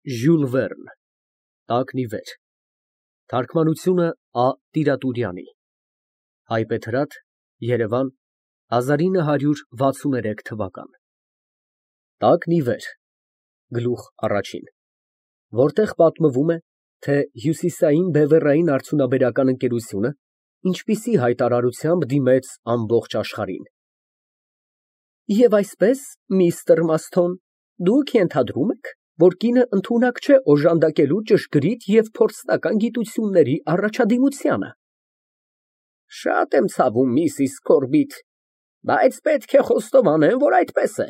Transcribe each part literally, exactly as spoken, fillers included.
Ժյուլ Վերն, Տակնի վեր, թարգմանությունը Ա Տիրատուրյանի, Հայբեթրատ, Երևան, հազար ինը հարյուր վաթսուներեք թվական։ Տակնի վեր, գլուխ առաջին, որտեղ պատմվում է, թե Հյուսիսային բևեռային արդյունաբերական ընկերությունը ինչպիսի հայտարարությամբ դիմեց ամբողջ աշխարհին։ Եվ այսպես, միստր Մասթոն, դուք ենթադրում եք, որ կինը ընդունակ չէ օժանդակելու ճշգրիտ և փորձնական գիտությունների առաջադիմությանը։ Շատ եմ ցավում, միսիս Կորբիտ, բայց պետք է խոստովանեմ, որ այդպես է,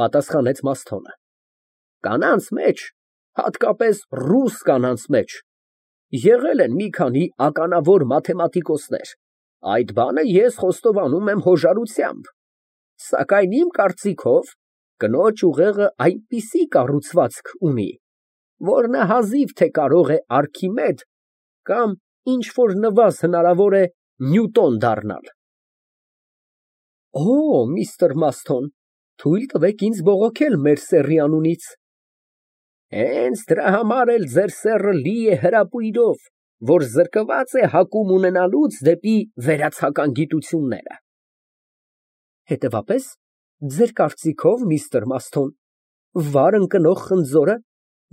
պատասխանեց Մասթոնը։ Կանանց մեջ, հատկապես ռուս կանանց մեջ, եղել են մի քանի ականավոր մաթեմատիկոսներ, այդ բանը ես խոստովանում եմ հոժարությամբ, սակայն իմ կարծիքով կնոջ ուղեղը այնպիսի կառուցվածք ունի, որ նա հազիվ թե կարող է Արքիմեդ կամ ինչ֊որ նվազ հնարավոր է Նյուտոն դառնալ։ Օ, միստր Մասթոն, թույլ տվեք ինձ բողոքել մեր սեռի անունից։ Հենց դրա համար էլ ձեր սեռը լի է հրապույրով, որ զրկված է հակում ունենալուց դեպի վերացական գիտությունները։ Հետևաբար, ձեր կարծիքով, միստր Մասթոն, վար ընկնող խնձորը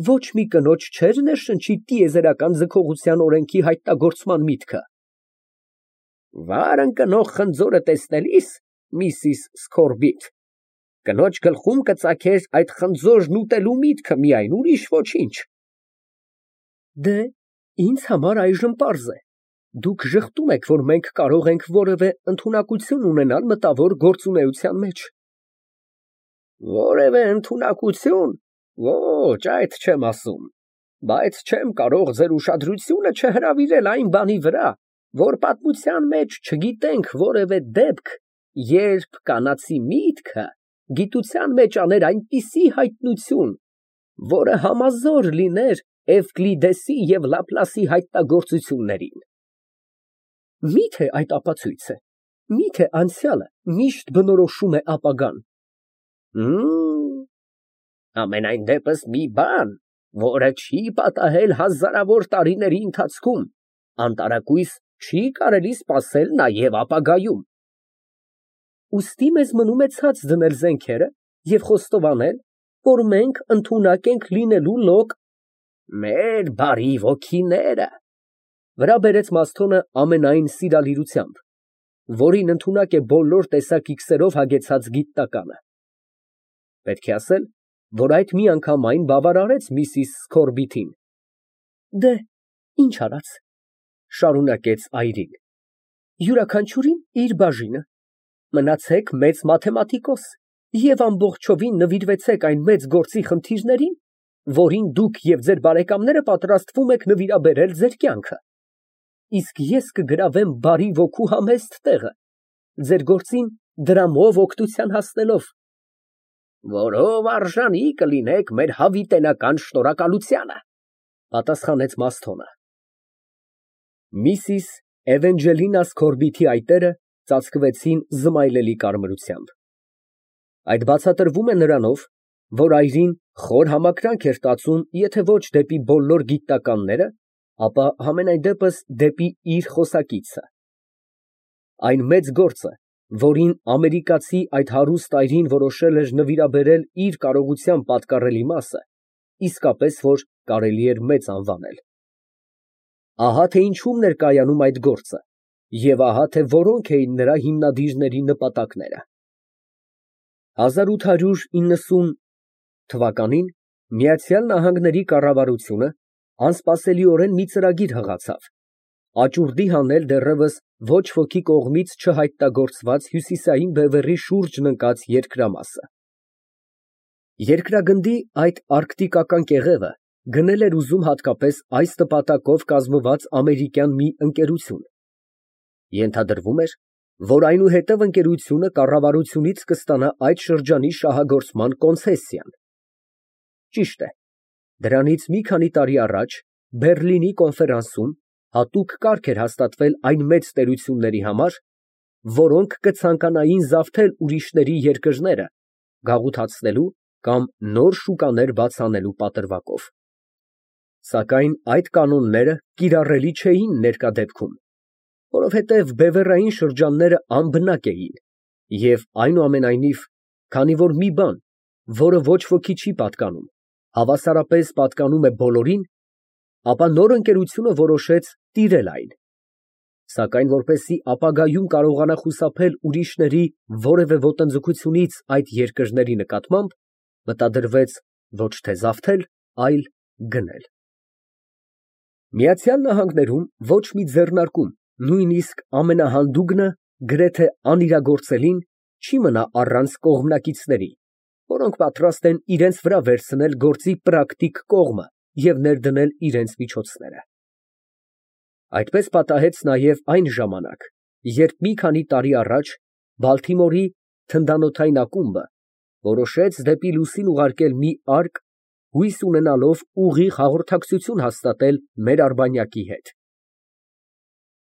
ոչ մի կնոջ չէր ներշնչի տիեզերական ձգողության օրենքի հայտնագործման միտքը։ Վար ընկնող խնձորը տեսնելիս, միսիս Սքորբիտ, կնոջ գլխում կծագեր այդ խնձորն ուտելու միտքը միայն, ուրիշ ոչինչ։ Դե, ինձ համար այժմ պարզ է, դուք ժխտում եք, որ մենք կարող ենք որևէ ընդունակություն ունենալ մտավոր գործունեության մեջ։ Որևէ ընդունակություն, ոչ, այդ չեմ ասում, բայց չեմ կարող ձեր ուշադրությունը չհրավիրել այն բանի վրա, որ պատմության մեջ չգիտենք որևէ դեպք, երբ կանացի միտքը գիտության մեջ աներ այնպիսի հայտնություն, որը համազոր լիներ Էվկլիդեսի և Լապլասի հայտնագործություններին։ Մի՞թե այդ ապացույց է, մի՞թե անցյալը միշտ բնորոշում է ապագան։ Հըմ, ամենայն դեպս մի բան, որը չի պատահել հազարավոր տարիների ընթացքում, անտարակույս չի կարելի սպասել նաև ապագայում։ Ուստի մեզ մնում է ցած դնել զենքերը և խոստովանել, որ մենք ընդունակ ենք լինելու լոկ… Մեր բարի ոգիները, վրա բերեց Մասթոնը ամենայն սիրալիրությամբ, որին ընդունակ է բոլոր տեսակի քսերով հագեցած գիտնականը։ Պետք է ասել, որ այդ միանգամայն բավարարեց միսիս Սքորբիթին։ Դե, ինչ արած, շարունակեց այրին, յուրաքանչյուրին իր բաժինը, մնացեք մեծ մաթեմատիկոս և ամբողջովին նվիրվեցեք այն մեծ գործի խնդիրներին, որին դուք և ձեր բարեկամները պատրաստվում եք նվիրաբերել ձեր կյանքը, իսկ ես կգրավեմ բարի ոգու համեստ տեղը, ձեր գործին դրամով օգնության հասնելով։ Որով արժանի կլինեք մեր հավիտենական շնորհակալությանը, պատասխանեց Մասթոնը։ Միսիս Էվենջելինա Սքորբիթի այտերը ծածկվեցին զմայլելի կարմրությամբ։ Այդ բացատրվում է նրանով, որ այրին խոր համակրանք էր տածում եթե ոչ դեպի բոլոր գիտնականները, ապա համենայն դեպս դեպի իր խոսակիցը։ Այն մեծ գործը, որին ամերիկացի այդ հարուստ այրին որոշել էր նվիրաբերել իր կարողության պատկառելի մասը, իսկապես որ կարելի էր մեծ անվանել։ Ահա թե ինչումն էր կայանում այդ գործը, և ահա թե որոնք էին նրա հիմնադիրների նպատակները։ հազար ութ հարյուր իննսուն թվականին Միացյալ Նահանգների կառավարությունը անսպասելիորեն մի ծրագիր հղացավ, աճուրդի հանել դեռևս ոչ ոքի կողմից չհայտնագործված հյուսիսային բևեռի շուրջն ընկած երկրամասը։ Երկրագնդի այդ արկտիկական կեղևը գնել էր ուզում հատկապես այս նպատակով կազմված ամերիկյան մի ընկերություն։ Ենթադրվում էր, որ այնուհետև ընկերությունը կառավարությունից կստանա այդ շրջանի շահագործման կոնցեսիան։ Ճիշտ է, դրանից մի քանի տարի առաջ Բեռլինի կոնֆերանսում հատուկ կարգ էր հաստատվել այն մեծ տերությունների համար, որոնք կցանկանային զավթել ուրիշների երկրները, գաղութացնելու կամ նոր շուկաներ բաց անելու պատրվակով։ Սակայն այդ կանոնները կիրառելի չէին ներկա դեպքում, որովհետև բևեռային շրջանները անբնակ էին և, այնուամենայնիվ, քանի որ մի բան, որը ոչ ոքի չի պատկանում, հավասարապես պատկանում է բոլորին, ապա նոր ընկերությունը որոշեց տիրել այն, սակայն որպեսզի ապագայում կարողանա խուսափել ուրիշների որևէ ոտնձգությունից այդ երկրների նկատմամբ, մտադրվեց ոչ թե զավթել, այլ գնել։ Միացյալ Նահանգներում ոչ մի ձեռնարկում, նույնիսկ ամենահանդուգնը, գրեթե անիրագործելին, չի մնա առանց կողմնակիցների, որոնք պատրաստ են իրենց վրա վերցնել գործի պրակտիկ կողմը և ներդնել իրենց միջոցները։ Այդպես պատահեց նաև այն ժամանակ, երբ մի քանի տարի առաջ Բալթիմորի թնդանոթային ակումբը որոշեց դեպի լուսին ուղարկել մի արկ, հույս ունենալով ուղիղ հաղորդակցություն հաստատել մեր արբանյակի հետ։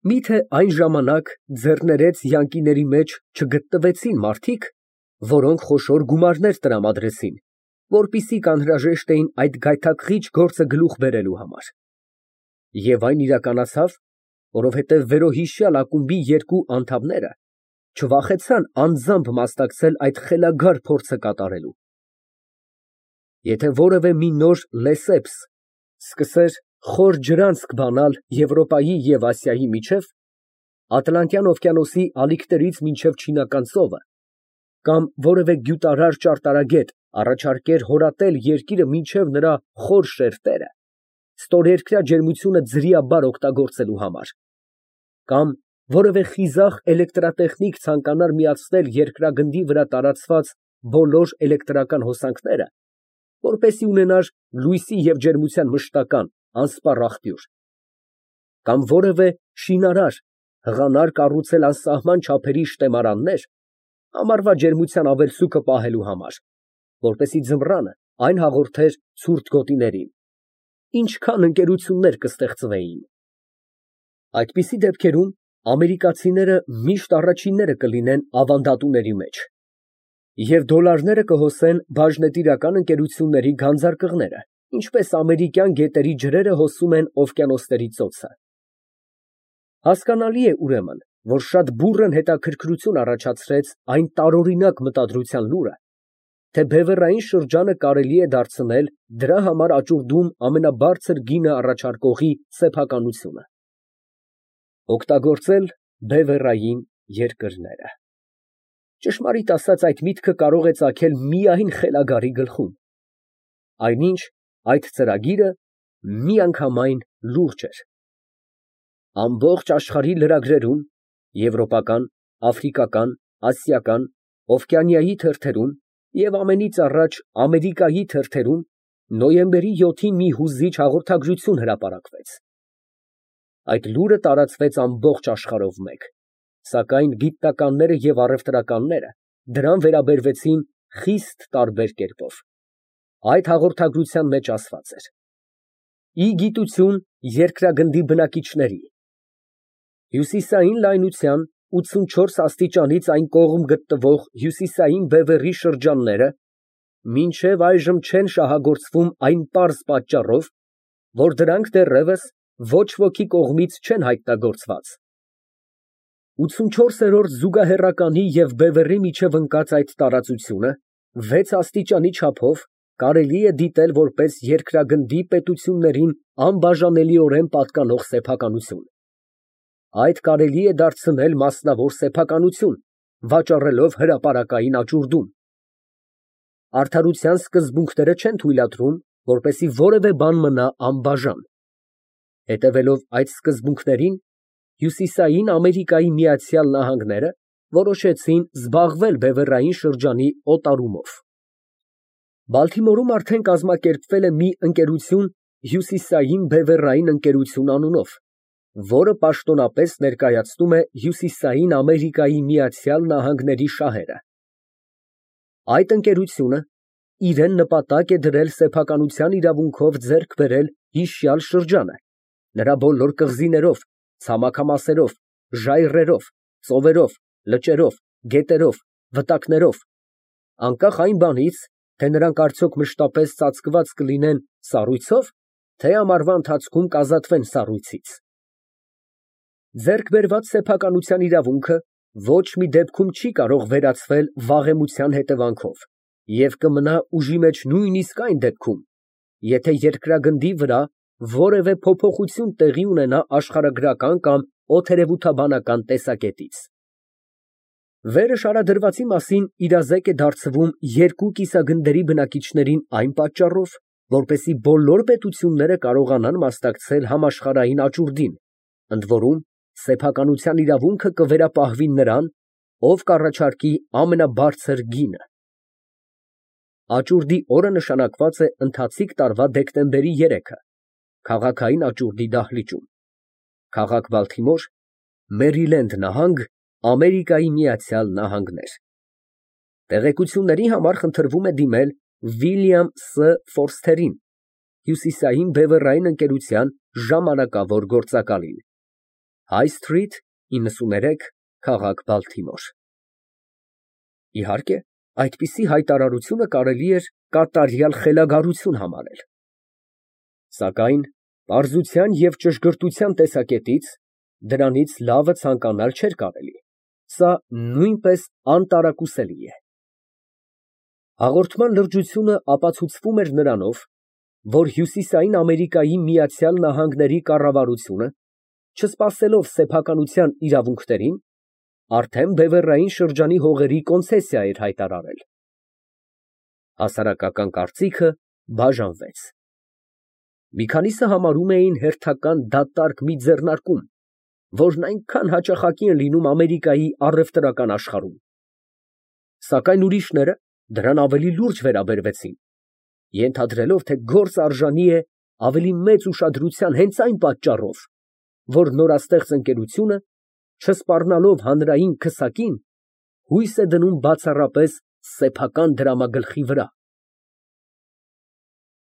Մի՞թե այն ժամանակ ձեռներեց յանկիների մեջ չգտնվեցին մարդիկ, որոնք խոշոր գումարներ տրամադրեցին, որպեսզի կանհրաժեշտ էին այդ գայթակղիչ գործը գլուխ բերելու համար։ Եվ այն իրականացավ, որովհետև վերոհիշյալ ակումբի երկու անդամները չվախեցան անձամբ մասնակցել այդ խելագար փորձը կատարելու։ Եթե որևէ մի նոր Լեսեփս սկսեր խոր ջրանցք բանալ Եվրոպայի և Ասիայի միջև, Ատլանտյան օվկիանոսի ալիքներից մինչև Չինական ծովը, կամ որևէ գյուտարար ճարտարագետ առաջարկեր հորատել երկիրը մինչև նրա խոր շերտերը, ստորերկրյա ջերմությունը ձրիաբար օգտագործելու համար, կամ որևէ խիզախ էլեկտրատեխնիկ ցանկանար միացնել երկրագնդի վրա տարածված բոլոր էլեկտրական հոսանքները, որպեսզի ունենար լույսի և ջերմության մշտական, անսպառ աղբյուր, կամ որևէ շինարար հղանար կառուցել անսահման չափերի շտեմարաններ ամառվա ջերմության ավելցուկը պահելու համար, որպեսզի ձմռանը այն հաղորդեր ցուրտ գոտիներին, ինչքան ընկերություններ կստեղծվեին։ Այդպիսի դեպքերում ամերիկացիները միշտ առաջինները կլինեն ավանդատուների մեջ, և դոլարները կհոսեն բաժնետիրական ընկերությունների գանձարկղները, ինչպես ամերիկյան գետերի ջրերը հոսում են օվկիանոսների ծոցը։ Հասկանալի է, ուրեմն, որ շատ բուռն հետաքրքրություն առաջացրեց այն տարօրինակ մտադրության լուրը, թե բևեռային շրջանը կարելի է դարձնել դրա համար աճուրդում ամենաբարձր գինը առաջարկողի սեփականությունը։ Օգտագործել բևեռային երկրները։ Ճշմարիտ ասած, այդ միտքը կարող է ծագել միայն խելագարի գլխում, այնինչ այդ ծրագիրը միանգամայն լուրջ էր։ Ամբողջ աշխարհի լրագրերում, եվրոպական, աֆրիկական, ասիական, Օվկիանիայի թերթերում և ամենից առաջ Ամերիկայի թերթերում նոյեմբերի յոթին մի հուզիչ հաղորդագրություն հրապարակվեց։ Այդ լուրը տարածվեց ամբողջ աշխարհով մեկ, սակայն գիտնականները և առևտրականները դրան վերաբերվեցին խիստ տարբեր կերպով։ Այդ հաղորդագրության մեջ ասված էր. «Ի գիտություն երկրագնդի բնակիչների, հյուսիսային լայնության ութսունչորս աստիճանից այն կողմ գտնվող հյուսիսային բևեռի շրջանները մինչև այժմ չեն շահագործվում այն պարզ պատճառով, որ դրանք դեռևս ոչ ոքի կողմից չեն հայտնագործված։ ութսունչորսերորդ զուգահեռականի և բևեռի միջև ընկած այդ տարածությունը վեց աստիճանի չափով կարելի է դիտել որպես երկրագնդի պետություններին անբաժանելիորեն պատկանող սեփականություն։ Այդ կարելի է դարձնել մասնավոր սեփականություն, վաճառելով հրապարակային աճուրդում։ Արդարության սկզբունքները չեն թույլատրում, որպեսզի որևէ բան մնա անբաժան։ Հետևելով այդ սկզբունքներին, Հյուսիսային Ամերիկայի Միացյալ Նահանգները որոշեցին զբաղվել բևեռային շրջանի օտարումով։ Բալթիմորում արդեն կազմակերպվել է մի ընկերություն Հյուսիսային բևեռային ընկերություն անունով, որը պաշտոնապես ներկայացնում է Հյուսիսային Ամերիկայի Միացյալ Նահանգների շահերը։ Այդ ընկերությունը իրեն նպատակ է դրել սեփականության իրավունքով ձեռք բերել հիշյալ շրջանը, նրա բոլոր կղզիներով, ցամաքամասերով, ժայռերով, ծովերով, լճերով, գետերով, վտակներով, անկախ այն բանից, թե նրանք արդյոք մշտապես ծածկված կլինեն սառույցով, թե ամառվա ընթացքում կազատվեն սառույցից։ Ձեռք բերված սեփականության իրավունքը ոչ մի դեպքում չի կարող վերացվել վաղեմության հետևանքով և կմնա ուժի մեջ նույնիսկ այն դեպքում, եթե երկրագնդի վրա որևէ փոփոխություն տեղի ունենա աշխարհագրական կամ օդերևութաբանական տեսակետից։ Վերը շարադրվածի մասին իրազեկ է դարձվում երկու կիսագնդերի բնակիչներին այն պատճառով, որպեսզի բոլոր պետությունները կարողանան մասնակցել համաշխարհային աճուրդին, ընդ որում սեփականության իրավունքը կվերապահվի նրան, ով կառաջարկի ամենաբարձր գինը։ Աճուրդի օրը նշանակված է ընթացիկ տարվա դեկտեմբերի երեքը, քաղաքային աճուրդի դահլիճում, քաղաք Բալթիմոր, Մերիլենդ նահանգ, Ամերիկայի Միացյալ Նահանգներ։ Տեղեկությունների համար խնդրվում է դիմել Վիլյամ Ս. Ֆորսթերին, Հյուսիսային բևեռային ընկերության ժամանակավոր գործակալին, High Street, իննսուներեք, քաղաք Բալթիմոր։ Իհարկե, այդպիսի հայտարարությունը կարելի էր կատարյալ խելագարություն համարել։ Սակայն պարզության և ճշգրտության տեսակետից դրանից լավը ցանկանալ չէր կարելի, սա նույնպես անտարակուսելի է։ Հաղորդման լրջությունը ապացուցվում էր նրանով, որ Հյուսիսային Ամերիկայի Միացյալ Նահանգների կառավարությունը, չսպասելով սեփականության իրավունքներին, արդեն բևեռային շրջանի հողերի կոնցեսիա էր հայտարարել։ Հասարակական կարծիքը բաժանվեց։ Մի քանիսը համարում էին հերթական դատարկ մի ձեռնարկում, որն այնքան հաճախակի են լինում Ամերիկայի առևտրական աշխարհում։ Սակայն ուրիշները դրան ավելի լուրջ վերաբերվեցին, ենթադրելով, թե գործը արժանի է ավելի մեծ ուշադրության հենց այն պատճառով, որ նորաստեղծ ընկերությունը, չսպառնալով հանրային քսակին, հույս է դնում բացառապես սեփական դրամագլխի վրա։